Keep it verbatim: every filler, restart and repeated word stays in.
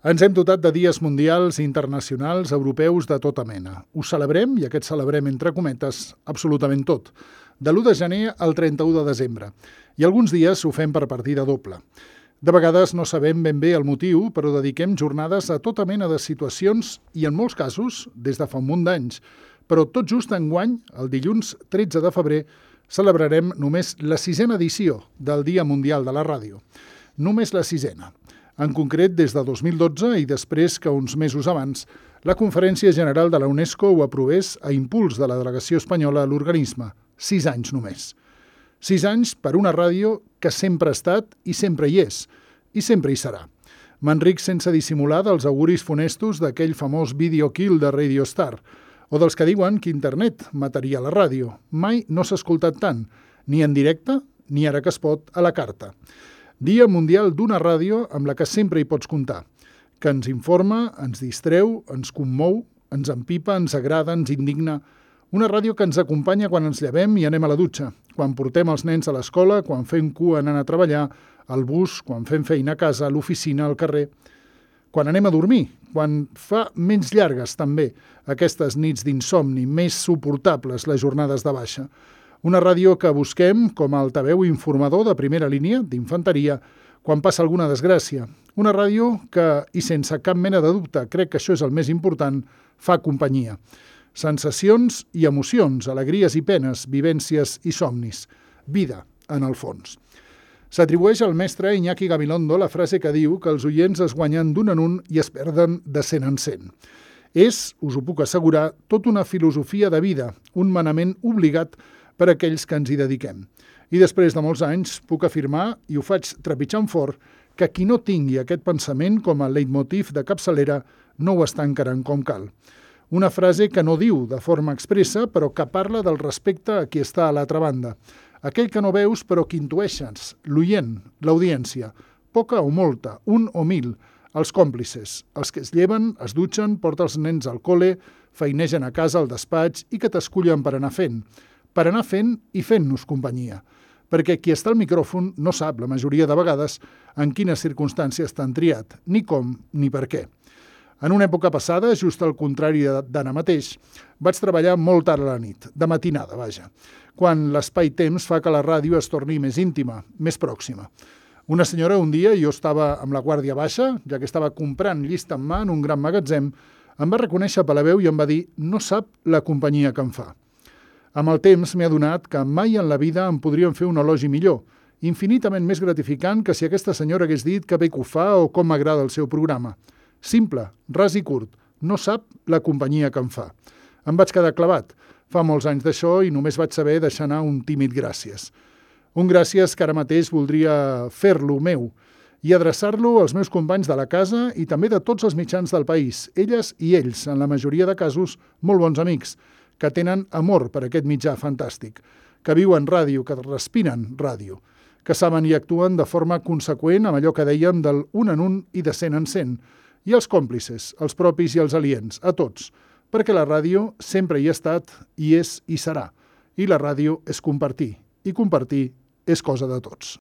Ens hem dotat de dies mundials, internacionals, europeus, de tota mena. Ho celebrem, i aquest celebrem entre cometes, absolutament tot. De l'u de gener al trenta-u de desembre. I alguns dies ho fem per partida doble. De vegades no sabem ben bé el motiu, però dediquem jornades a tota mena de situacions i, en molts casos, des de fa un munt d'anys. Però tot just enguany, el dilluns tretze de febrer, celebrarem només la sisena edició del Dia Mundial de la Ràdio. Només la sisena. En concret, des de dos mil dotze i després que uns mesos abans, la Conferència General de la UNESCO ho aprovés a impuls de la delegació espanyola a l'organisme. Sis anys només. Sis anys per una ràdio que sempre ha estat i sempre hi és, i sempre hi serà. M'enric sense dissimular dels auguris funestos d'aquell famós Video Kill de Radio Star, o dels que diuen que internet mataria la ràdio. Mai no s'ha escoltat tant, ni en directe, ni ara que es pot, a la carta. Dia Mundial d'una ràdio amb la que sempre hi pots comptar, que ens informa, ens distreu, ens commou, ens empipa, ens agrada, ens indigna. Una ràdio que ens acompanya quan ens llevem i anem a la dutxa, quan portem els nens a l'escola, quan fem cua anant a treballar, al bus, quan fem feina a casa, a l'oficina, al carrer, quan anem a dormir, quan fa menys llargues també aquestes nits d'insomni, més suportables les jornades de baixa. Una ràdio que busquem com a altaveu informador de primera línia, d'infanteria, quan passa alguna desgràcia. Una ràdio que, i sense cap mena de dubte, crec que això és el més important, fa companyia. Sensacions i emocions, alegries i penes, vivències i somnis. Vida, en el fons. S'atribueix al mestre Iñaki Gabilondo la frase que diu que els oients es guanyen d'un en un i es perden de cent en cent. És, us ho puc assegurar, tota una filosofia de vida, un manament obligat per a aquells que ens hi dediquem. I després de molts anys puc afirmar, i ho faig trepitjant fort, que qui no tingui aquest pensament com a leitmotiv de capçalera no ho està encarant com cal. Una frase que no diu de forma expressa, però que parla del respecte a qui està a l'altra banda. Aquell que no veus però que intueixes, l'oient, l'audiència, poca o molta, un o mil, els còmplices, els que es lleven, es dutxen, porten els nens al col·le, feinegen a casa al despatx i que t'escullen per anar fent. Per anar fent i fent-nos companyia. Perquè qui està al micròfon no sap, la majoria de vegades, en quines circumstàncies t'han triat, ni com, ni per què. En una època passada, just al contrari d'ara mateix, vaig treballar molt tard a la nit, de matinada, vaja, quan l'espai-temps fa que la ràdio es torni més íntima, més pròxima. Una senyora, un dia, jo estava amb la guàrdia baixa, ja que estava comprant llista en mà en un gran magatzem, em va reconèixer per la veu i em va dir «no sap la companyia que em fa». Amb el temps m'he adonat que mai en la vida em podrien fer un elogi millor, infinitament més gratificant que si aquesta senyora hagués dit que bé que ho fa o com m'agrada el seu programa. Simple, ras i curt, no sap la companyia que em fa. Em vaig quedar clavat. Fa molts anys d'això i només vaig saber deixar anar un tímid gràcies. Un gràcies que ara mateix voldria fer-lo meu i adreçar-lo als meus companys de la casa i també de tots els mitjans del país, elles i ells, en la majoria de casos, molt bons amics, que tenen amor per aquest mitjà fantàstic, que viuen ràdio, que respiren ràdio, que saben i actuen de forma conseqüent amb allò que dèiem del un en un i de cent en cent, i els còmplices, els propis i els aliens, a tots, perquè la ràdio sempre hi ha estat, hi és i serà, i la ràdio és compartir, i compartir és cosa de tots.